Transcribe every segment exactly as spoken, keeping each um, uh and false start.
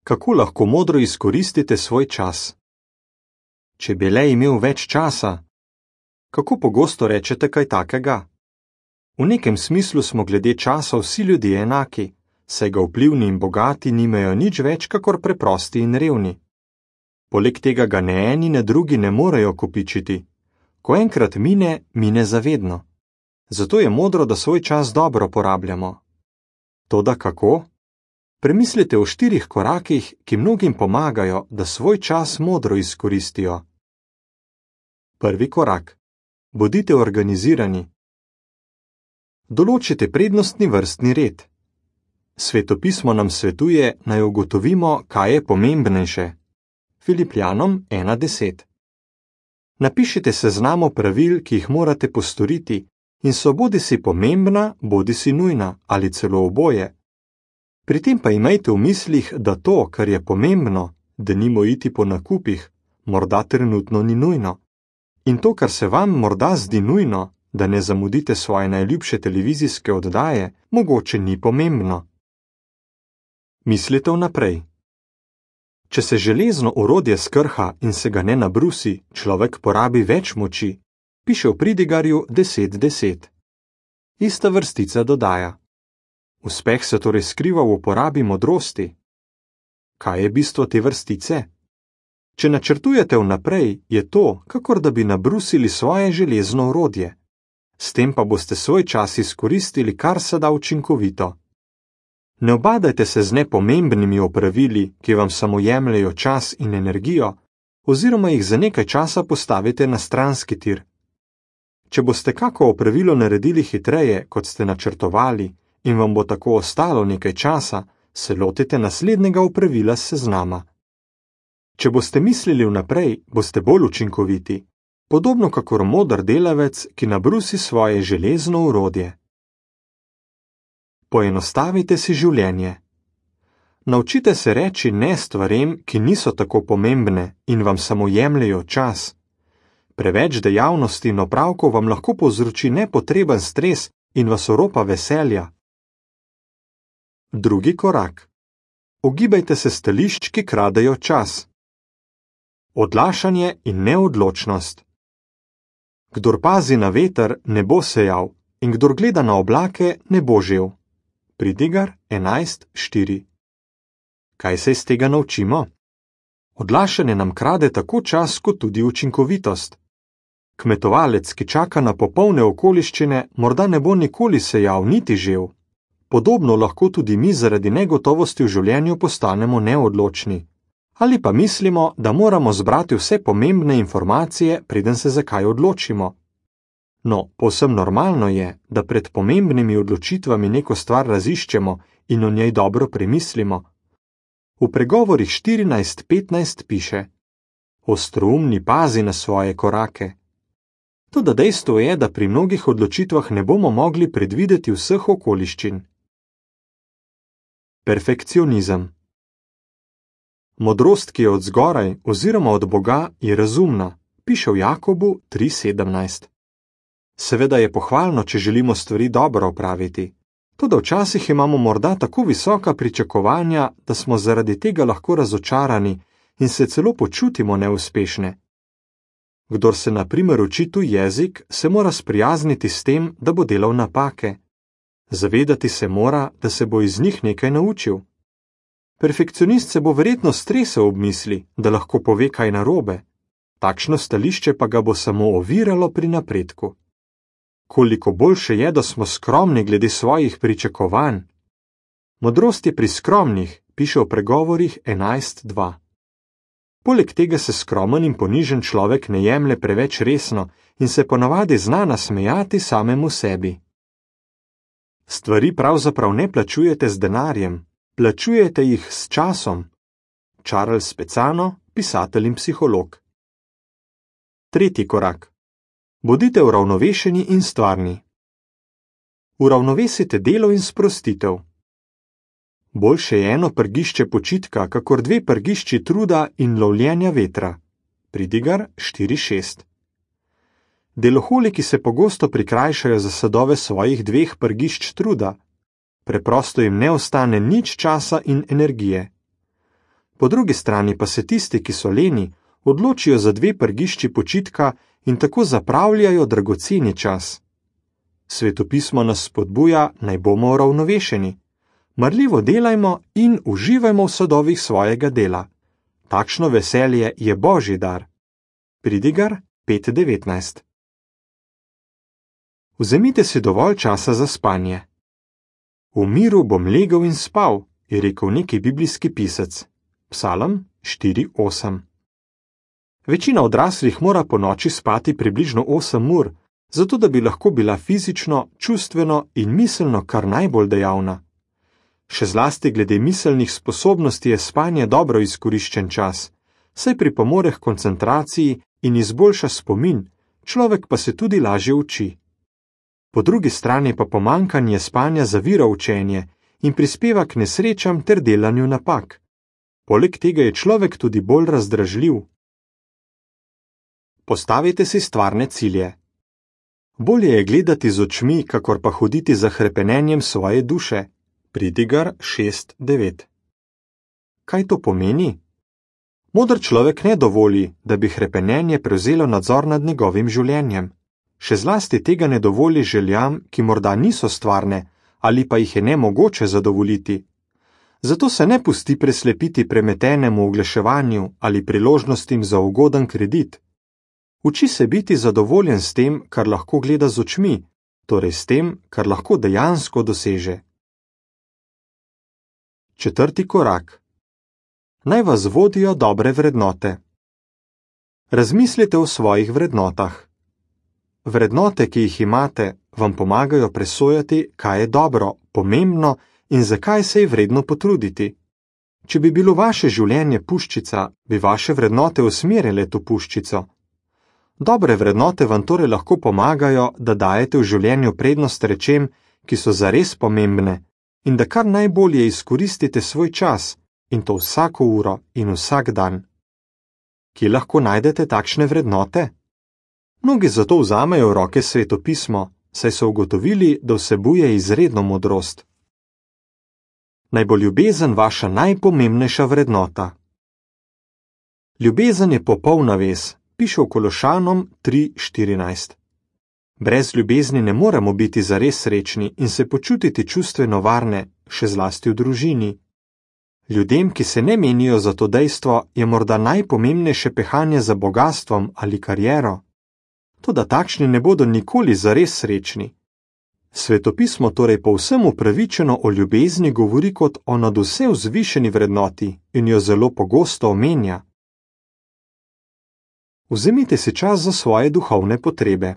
Kako lahko modro izkoristite svoj čas? Če bi le imel več časa. Kako pogosto rečete kaj takega? V nekem smislu smo glede časa vsi ljudje enaki, saj ga vplivni in bogati nimajo nič več kakor preprosti in revni. Poleg tega ga ne eni ne drugi ne morejo kopičiti. Ko enkrat mine, mine zavedno. Zato je modro, da svoj čas dobro porabljamo. Toda kako? Premislite o štirih korakih, ki mnogim pomagajo, da svoj čas modro izkoristijo. Prvi korak. Bodite organizirani. Določite prednostni vrstni red. Svetopismo nam svetuje, naj ugotovimo, kaj je pomembnejše. Filipljanom ena deset. Napišite seznam pravil, ki jih morate postoriti, in so bodisi pomembna, bodisi nujna ali celo oboje. Pri tem pa imejte v mislih, da to, kar je pomembno, denimo iti po nakupih, morda trenutno ni nujno. In to, kar se vam morda zdi nujno, da ne zamudite svoje najljubše televizijske oddaje, mogoče ni pomembno. Mislite vnaprej. Če se železno orodje skrha in se ga ne nabrusi, človek porabi več moči, piše v pridigarju deset deset. Ista vrstica dodaja. Uspeh se torej skriva v uporabi modrosti. Kaj je bistvo te vrstice? Če načrtujete vnaprej, je to, kakor da bi nabrusili svoje železno orodje. S tem pa boste svoj čas izkoristili kar se da učinkovito. Ne obadajte se z nepomembnimi opravili, ki vam samo jemljejo čas in energijo, oziroma jih za nekaj časa postavite na stranski tir. Če boste kako opravilo naredili hitreje, kot ste načrtovali, in vam bo tako ostalo nekaj časa, se lotite naslednjega opravila s seznama. Če boste mislili vnaprej, boste bolj učinkoviti, podobno kakor moder delavec, ki nabrusi svoje železno orodje. Poenostavite si življenje. Naučite se reči ne stvarem, ki niso tako pomembne in vam samo jemljejo čas. Preveč dejavnosti in opravkov vam lahko povzroči nepotreben stres in vas oropa veselja. Drugi korak. Ogibajte se stališč, ki kradejo čas. Odlašanje in neodločnost. Kdor pazi na veter, ne bo sejal, in kdor gleda na oblake, ne bo žel. Pridigar enajst štiri. Kaj se iz tega naučimo? Odlašanje nam krade tako čas, kot tudi učinkovitost. Kmetovalec, ki čaka na popolne okoliščine, morda ne bo nikoli sejal niti žel. Podobno lahko tudi mi zaradi negotovosti v življenju postanemo neodločni. Ali pa mislimo, da moramo zbrati vse pomembne informacije, preden se za kaj odločimo. No, povsem normalno je, da pred pomembnimi odločitvami neko stvar raziščemo in o njej dobro premislimo. V pregovorih štirinajst petnajst piše: Ostroumni pazi na svoje korake. Toda dejstvo je, da pri mnogih odločitvah ne bomo mogli predvideti vseh okoliščin. Perfekcionizem. Modrost, ki je od zgoraj oziroma od Boga, je razumna, piše v Jakobu tri sedemnajst. Seveda je pohvalno, če želimo stvari dobro opraviti, toda včasih imamo morda tako visoka pričakovanja, da smo zaradi tega lahko razočarani in se celo počutimo neuspešne. Kdor se na primer uči tuj jezik, se mora sprijazniti s tem, da bo delal napake. Zavedati se mora, da se bo iz njih nekaj naučil. Perfekcionist se bo verjetno stresel ob misli, da lahko pove kaj narobe. Takšno stališče pa ga bo samo oviralo pri napredku. Koliko boljše je, da smo skromni glede svojih pričakovanj. Modrost je pri skromnih, piše v pregovorih enajst dva. Poleg tega se skromen in ponižen človek ne jemlje preveč resno in se ponavadi zna nasmejati samemu sebi. Stvari pravzaprav ne plačujete z denarjem, plačujete jih s časom. Charles Specano, pisatelj in psiholog. Tretji korak. Bodite uravnovešeni in stvarni. Uravnovesite delo in sprostitev. Boljše je eno prgišče počitka, kakor dve prgišči truda in lovljenja vetra. Pridigar štiri šest. Deloholiki se pogosto prikrajšajo za sadove svojih dveh prgišč truda. Preprosto jim ne ostane nič časa in energije. Po drugi strani pa se tisti, ki so leni, odločijo za dve prgišči počitka in tako zapravljajo dragoceni čas. Svetopismo nas spodbuja, naj bomo uravnovešeni. Marljivo delajmo in uživajmo v sadovih svojega dela. Takšno veselje je Božji dar. Pridigar pet devetnajst. Vzemite si dovolj časa za spanje. V miru bom legel in spal, je rekel neki biblijski pisec. Psalm štiri osem. Večina odraslih mora po noči spati približno osem ur, zato da bi lahko bila fizično, čustveno in miselno kar najbolj dejavna. Še zlasti glede miselnih sposobnosti je spanje dobro izkoriščen čas, saj pripomore k koncentraciji in izboljša spomin, človek pa se tudi lažje uči. Po drugi strani pa pomanjkanje spanja zavira učenje in prispeva k nesrečam ter delanju napak. Poleg tega je človek tudi bolj razdražljiv. Postavite si stvarne cilje. Bolje je gledati z očmi, kakor pa hoditi za hrepenenjem svoje duše. Pridigar šest devet. Kaj to pomeni? Modr človek ne dovoli, da bi hrepenenje prevzelo nadzor nad njegovim življenjem. Še zlasti tega ne dovoli željam, ki morda niso stvarne ali pa jih je nemogoče zadovoljiti. Zato se ne pusti preslepiti premetenemu oglaševanju ali priložnostim za ugoden kredit. Uči se biti zadovoljen s tem, kar lahko gleda z očmi, torej s tem, kar lahko dejansko doseže. Četrti korak. Naj vas vodijo dobre vrednote. Razmislite o svojih vrednotah. Vrednote, ki jih imate, vam pomagajo presojati, kaj je dobro, pomembno in zakaj se je vredno potruditi. Če bi bilo vaše življenje puščica, bi vaše vrednote usmerile to puščico. Dobre vrednote vam torej lahko pomagajo, da dajete v življenju prednost rečem, ki so zares pomembne, in da kar najbolje izkoristite svoj čas, in to vsako uro in vsak dan. Kje lahko najdete takšne vrednote? Mnogi zato vzamejo v roke svetopismo, saj so ugotovili, da vsebuje izredno modrost. Naj bo ljubezen vaša najpomembnejša vrednota. Ljubezen je popolna vez, piše v Kološanom tri štirinajst. Brez ljubezni ne moremo biti zares srečni in se počutiti čustveno varne, še zlasti v družini. Ljudem, ki se ne menijo za to dejstvo, je morda najpomembnejše pehanje za bogastvom ali kariero. Toda takšni ne bodo nikoli zares srečni. Svetopismo torej povsem upravičeno o ljubezni govori kot o nadvse vzvišeni vrednoti in jo zelo pogosto omenja. Vzemite si čas za svoje duhovne potrebe.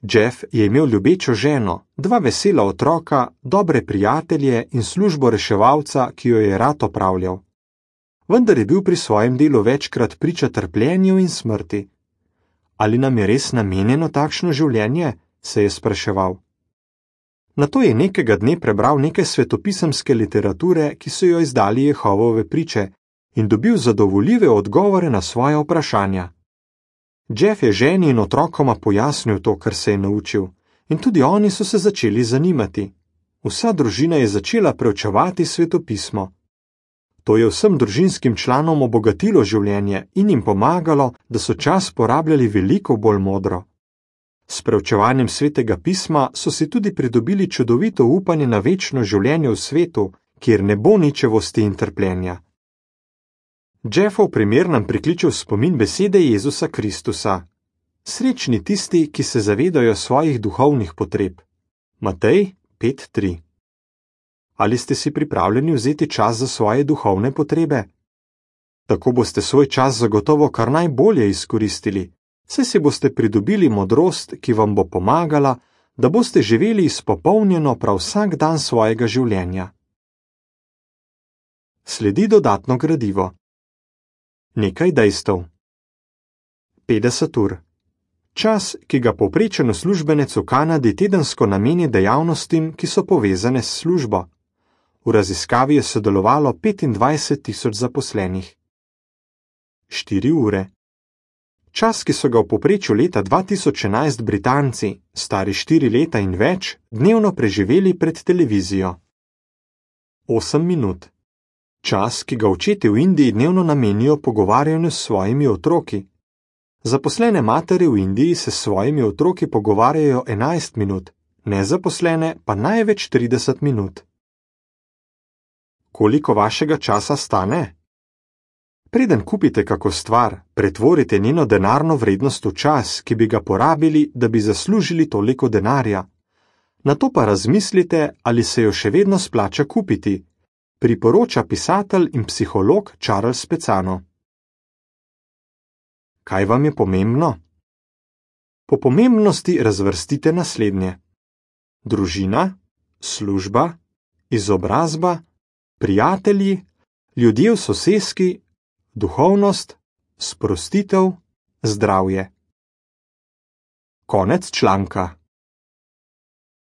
Jeff je imel ljubečo ženo, dva vesela otroka, dobre prijatelje in službo reševalca, ki jo je rad opravljal. Vendar je bil pri svojem delu večkrat priča trpljenju in smrti. Ali nam je res namenjeno takšno življenje? Se je spraševal. Nato je nekega dne prebral nekaj svetopisemske literature, ki so jo izdali Jehovove priče, in dobil zadovoljive odgovore na svoja vprašanja. Jeff je ženi in otrokoma pojasnil to, kar se je naučil, in tudi oni so se začeli zanimati. Vsa družina je začela preučevati svetopismo. To je vsem družinskim članom obogatilo življenje in jim pomagalo, da so čas porabljali veliko bolj modro. S preučevanjem svetega pisma so si tudi pridobili čudovito upanje na večno življenje v svetu, kjer ne bo ničevosti in trpljenja. Jeffov primer nam prikliče v spomin besede Jezusa Kristusa. Srečni tisti, ki se zavedajo svojih duhovnih potreb. Matej pet tri. Ali ste si pripravljeni vzeti čas za svoje duhovne potrebe? Tako boste svoj čas zagotovo kar najbolje izkoristili, saj si boste pridobili modrost, ki vam bo pomagala, da boste živeli izpopolnjeno prav vsak dan svojega življenja. Sledi dodatno gradivo. Nekaj dejstev. petdeset ur. Čas, ki ga povprečen uslužbenec v Kanadi tedensko nameni dejavnostim, ki so povezane s službo. V raziskavi je sodelovalo petindvajset tisoč zaposlenih. štiri ure. Čas, ki so ga v povprečju leta dva tisoč enajst Britanci, stari štiri leta in več, dnevno preživeli pred televizijo. osem minut. Čas, ki ga očetje v Indiji dnevno namenijo pogovarjanju s svojimi otroki. Zaposlene matere v Indiji se s svojimi otroki pogovarjajo enajst minut, nezaposlene pa največ trideset minut. Koliko vašega časa stane? Preden kupite kako stvar, pretvorite njeno denarno vrednost v čas, ki bi ga porabili, da bi zaslužili toliko denarja. Nato pa razmislite, ali se jo še vedno splača kupiti, priporoča pisatelj in psiholog Charles Spezano. Kaj vam je pomembno? Po pomembnosti razvrstite naslednje: družina, služba, izobrazba, prijatelji, ljudje v soseski, duhovnost, sprostitev, zdravje. Konec članka.